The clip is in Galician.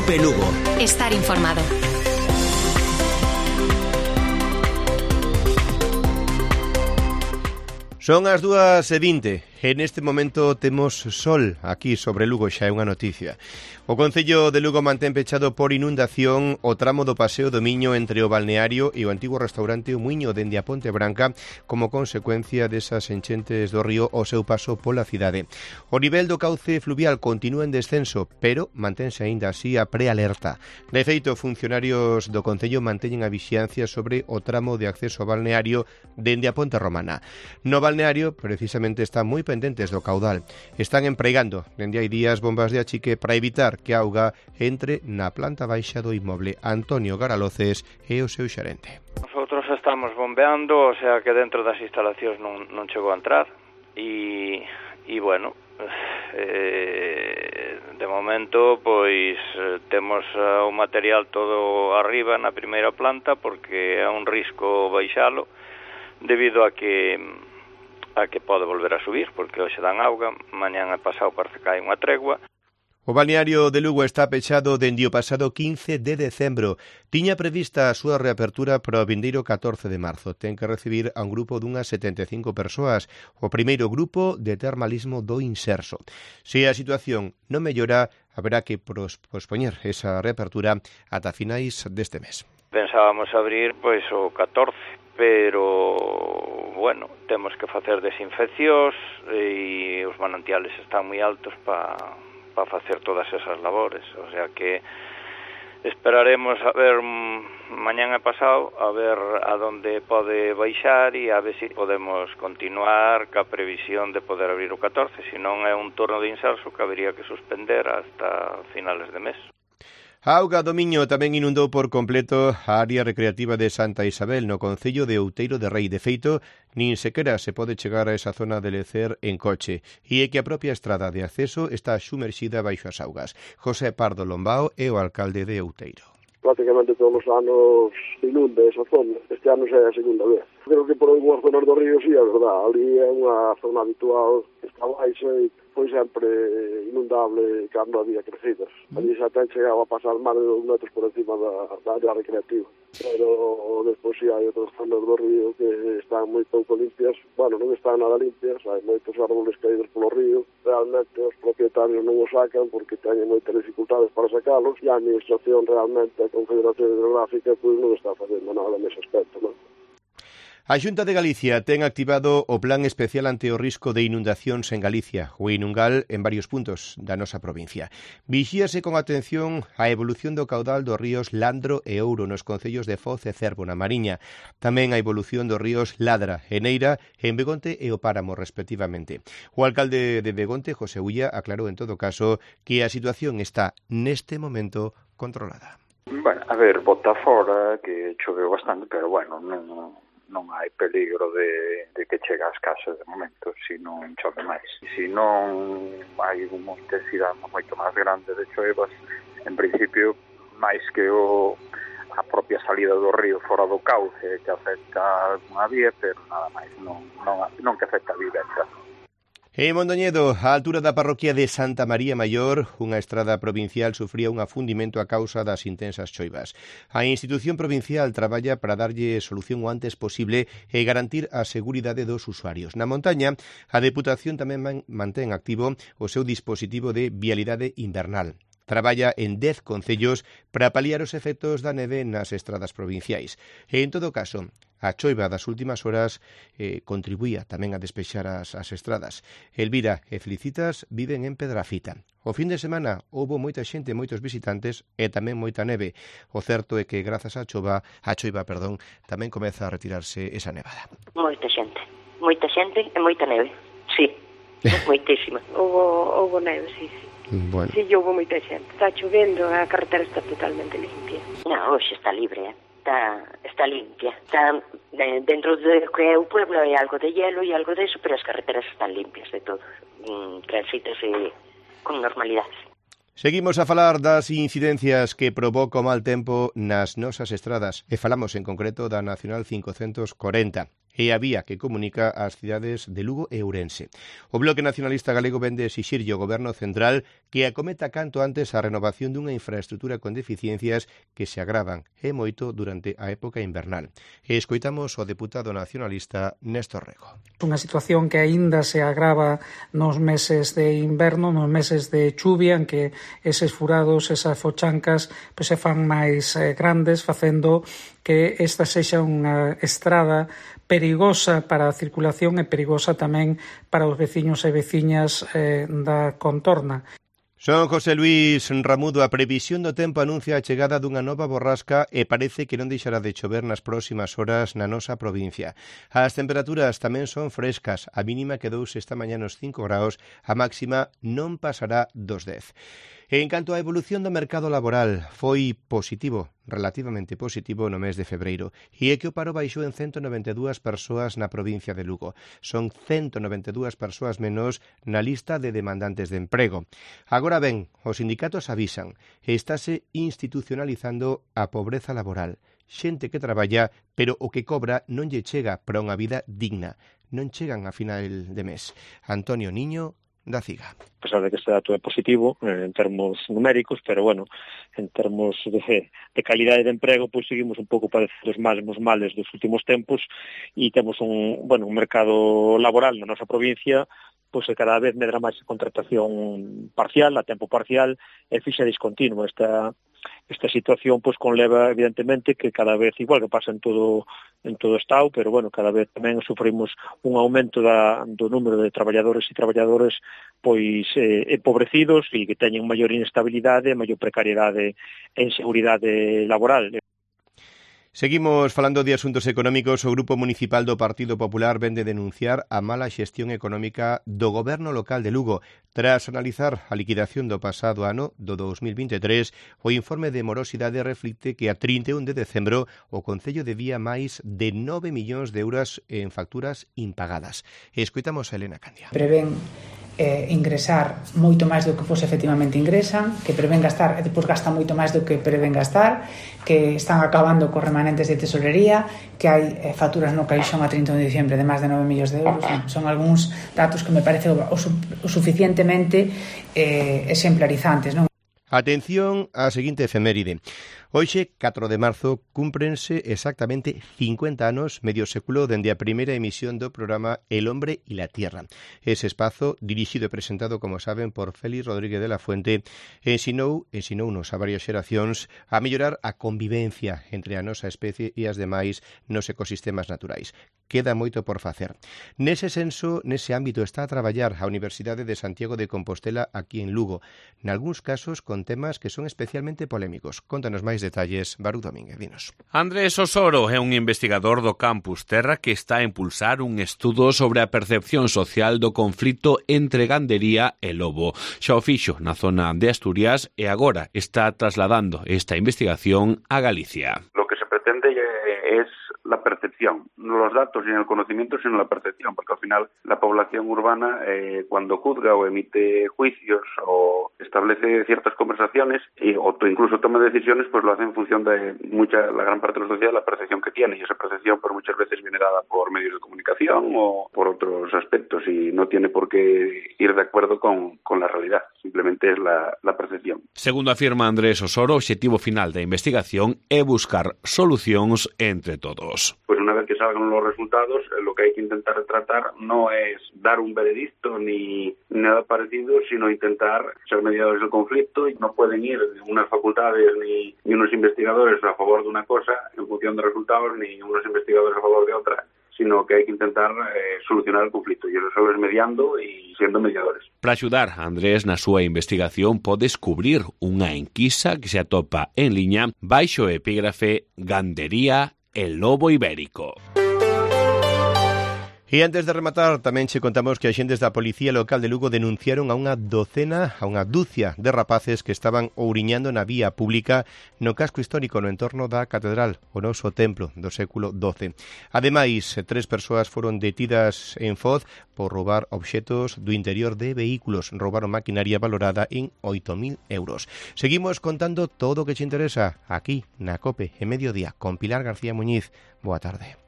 Cope Lugo. Estar informado. Son as 2:20. En este momento temos sol aquí sobre Lugo, xa é unha noticia. O Concello de Lugo mantén pechado por inundación o tramo do Paseo do Miño entre o balneario e o antigo restaurante O Muiño dende a Ponte Branca como consecuencia desas enchentes do río ao seu paso pola cidade. O nivel do cauce fluvial continúa en descenso, pero mantense aínda así a prealerta. De feito, funcionarios do Concello manteñen a vixiancia sobre o tramo de acceso ao balneario dende a Ponte Romana. No balneario, precisamente, está moi pendentes do caudal. Están empregando dende hai días bombas de achique para evitar que a auga entre na planta baixa do inmoble. Antonio Garaloces é o seu xerente. Nosotros estamos bombeando, o sea que dentro das instalacións non chegou a entrar e bueno, de momento pois temos o material todo arriba na primeira planta porque é un risco baixalo debido a que pode volver a subir, porque hoxe dan auga, mañán e pasado parece que hai unha tregua. O balneario de Lugo está pechado dende o pasado 15 de decembro. Tiña prevista a súa reapertura para o vindeiro 14 de marzo. Ten que recibir a un grupo dunhas 75 persoas, o primeiro grupo de termalismo do Inserso. Se a situación non mellora, haberá que pospoñer esa reapertura ata finais deste mes. Pensábamos abrir pois o 14, pero bueno, temos que facer desinfeccións e os manantiales están moi altos para facer todas esas labores, o sea que esperaremos a ver mañán e pasado a ver a donde pode baixar e a ver se podemos continuar ca previsión de poder abrir o 14, se non é un turno de Inserso que habería que suspender hasta finales de mes. A auga do Miño tamén inundou por completo a área recreativa de Santa Isabel no concello de Outeiro de Rei. De feito, nin sequera se pode chegar a esa zona de lecer en coche e é que a propia estrada de acceso está sumerxida baixo as augas. José Pardo Lombao é o alcalde de Outeiro. Prácticamente todos os anos inunda esa zona. Este ano xa é a segunda vez. Creo que por algunhas zonas do río sí, é verdad. Ali é unha zona habitual que está baixa e foi sempre inundable cando había crecidas. Ali xa ten chegado a pasar máis de 2 metros por encima da área recreativa. Pero despois sí hai outras zonas do río que están moi pouco limpias. Bueno, non están nada limpias, hai moitos árboles caídos polo río. Realmente os propietarios non os sacan porque teñen moitas dificultades para sacalos e a administración realmente, a Confederación Hidrográfica, pois non está facendo nada nese aspecto, non? A Xunta de Galicia ten activado o Plan Especial ante o risco de inundacións en Galicia, o Inungal, en varios puntos da nosa provincia. Vixíase con atención a evolución do caudal dos ríos Landro e Ouro nos concellos de Foz e Cervo na Mariña. Tamén a evolución dos ríos Ladra e Neira en Begonte e o Páramo, respectivamente. O alcalde de Begonte, José Ulla, aclarou en todo caso que a situación está neste momento controlada. Bueno, a ver, bota fora que choveu bastante, pero bueno, non hai peligro de que chegue ás casas de momento, se non chove máis. Se non hai unha intensidade moito máis grande de choivas, en principio, máis que a propia salida do río fora do cauce que afecta unha vía, pero nada máis, non que afecta a vivenda. En Mondoñedo, á altura da parroquia de Santa María Maior, unha estrada provincial sufría un afundimento a causa das intensas choivas. A institución provincial traballa para darlle solución o antes posible e garantir a seguridade dos usuarios. Na montaña, a Deputación tamén mantén activo o seu dispositivo de vialidade invernal. Traballa en 10 concellos para paliar os efectos da neve nas estradas provinciais. E, en todo caso, a choiva das últimas horas contribuía tamén a despexar as estradas. Elvira e Felicitas viven en Pedrafita. O fin de semana houbo moita xente, moitos visitantes e tamén moita neve. O certo é que grazas á choiva, tamén comeza a retirarse esa nevada. Moita xente e moita neve, sí, moitísima. Houbo neve, sí. Bueno. Sí, houve moita xente. Está chovendo, a carretera está totalmente limpia. Non, hoxe está libre, Está limpia. Está dentro de que é o pueblo hai algo de hielo e algo de eso, pero as carreteras están limpias de todo. Transítase con normalidade. Seguimos a falar das incidencias que provoca o mal tempo nas nosas estradas e falamos en concreto da Nacional 540. e a vía que comunica as cidades de Lugo e Ourense. O Bloque Nacionalista Galego vende exixirlle ao Goberno Central que acometa canto antes a renovación dunha infraestrutura con deficiencias que se agravan e moito durante a época invernal. E escoitamos o deputado nacionalista Néstor Rego. Unha situación que aínda se agrava nos meses de inverno, nos meses de chuvia, en que eses furados, esas fochancas, se fan máis grandes, facendo que esta sexa unha estrada perigosa para a circulación e perigosa tamén para os veciños e veciñas da contorna. Son José Luis Ramudo. A previsión do tempo anuncia a chegada dunha nova borrasca e parece que non deixará de chover nas próximas horas na nosa provincia. As temperaturas tamén son frescas. A mínima quedouse esta mañá nos 5 graus, a máxima non pasará dos 10. En canto á evolución do mercado laboral, foi positivo, relativamente positivo no mes de febreiro, e é que o paro baixou en 192 persoas na provincia de Lugo. Son 192 persoas menos na lista de demandantes de emprego. Agora ben, os sindicatos avisan, estáse institucionalizando a pobreza laboral. Xente que traballa, pero o que cobra non lle chega para unha vida digna. Non chegan a final de mes. Antonio Niño, da CIGA. A pesar de que este dato é positivo en termos numéricos, pero bueno, en termos de calidade de emprego, pois seguimos un pouco padecendo os mesmos males dos últimos tempos e temos un mercado laboral na nosa provincia pois que cada vez medra máis a contratación parcial, a tempo parcial e fixa discontinua. Esta situación pois conleva evidentemente que cada vez, igual que pasa en todo o Estado, pero bueno, cada vez tamén sufrimos un aumento do número de traballadores e traballadores pois empobrecidos e que teñen maior inestabilidade, maior precariedade e inseguridade laboral. Seguimos falando de asuntos económicos. O Grupo Municipal do Partido Popular vende denunciar a mala xestión económica do Goberno local de Lugo. Tras analizar a liquidación do pasado ano, do 2023, o informe de morosidade reflicte que a 31 de decembro o Concello debía máis de 9 millóns de euros en facturas impagadas. Escoitamos a Elena Candia. Prevén ingresar moito máis do que efectivamente ingresan, que prevén gastar e depois gasta moito máis do que prevén gastar, que están acabando cos remanentes de tesorería, que hai facturas no caixón a 31 de diciembre de máis de 9 millóns de euros. Son algúns datos que me parece o suficientemente exemplarizantes, non? Atención á seguinte efeméride. Hoxe, 4 de marzo, cúmprense exactamente 50 anos, medio século, dende a primeira emisión do programa El hombre y la tierra. Ese espazo, dirixido e presentado, como saben, por Félix Rodríguez de la Fuente, ensinounos a varias xeracións a mellorar a convivencia entre a nosa especie e as demais nos ecosistemas naturais. Queda moito por facer. Nese senso, nese ámbito, está a traballar a Universidade de Santiago de Compostela aquí en Lugo, nalgúns casos con temas que son especialmente polémicos. Contanos máis detalles, Barú Domínguez, dinos. Andrés Osoro é un investigador do Campus Terra que está a impulsar un estudo sobre a percepción social do conflito entre gandería e lobo. Xa o fixo na zona de Asturias e agora está trasladando esta investigación a Galicia. Lo que se pretende es la percepción, no los datos ni el conocimiento, sino la percepción, porque al final la población urbana cuando juzga o emite juicios o establece ciertas conversaciones o incluso toma decisiones, pues lo hace en función de la gran parte de la sociedad, la percepción que tiene, y esa percepción pues muchas veces viene dada por medios de comunicación o por otros aspectos y no tiene por qué ir de acuerdo con la realidad, simplemente es la percepción. Segundo afirma Andrés Osoro, o objetivo final da investigación é buscar solucións entre todos. Pues una vez que salgan los resultados, lo que hay que intentar tratar no es dar un veredicto ni nada parecido, sino intentar ser mediadores del conflicto. Y no pueden ir unas facultades ni unos investigadores a favor de una cosa en función de resultados, ni unos investigadores a favor de otra, sino que hai que intentar solucionar o conflito, e eso só é mediando e sendo mediadores. Para axudar a Andrés na súa investigación, podes cubrir unha enquisa que se atopa en liña baixo o epígrafe Gandería El lobo ibérico. E antes de rematar, tamén che contamos que axentes da Policía Local de Lugo denunciaron a unha dúcia de rapaces que estaban ouriñando na vía pública no casco histórico no entorno da Catedral, o noso templo do século XII. Ademais, 3 persoas foron detidas en Foz por roubar obxetos do interior de vehículos. Roubaron maquinaria valorada en 8.000 euros. Seguimos contando todo o que che interesa aquí na COPE en Mediodía con Pilar García Muñiz. Boa tarde.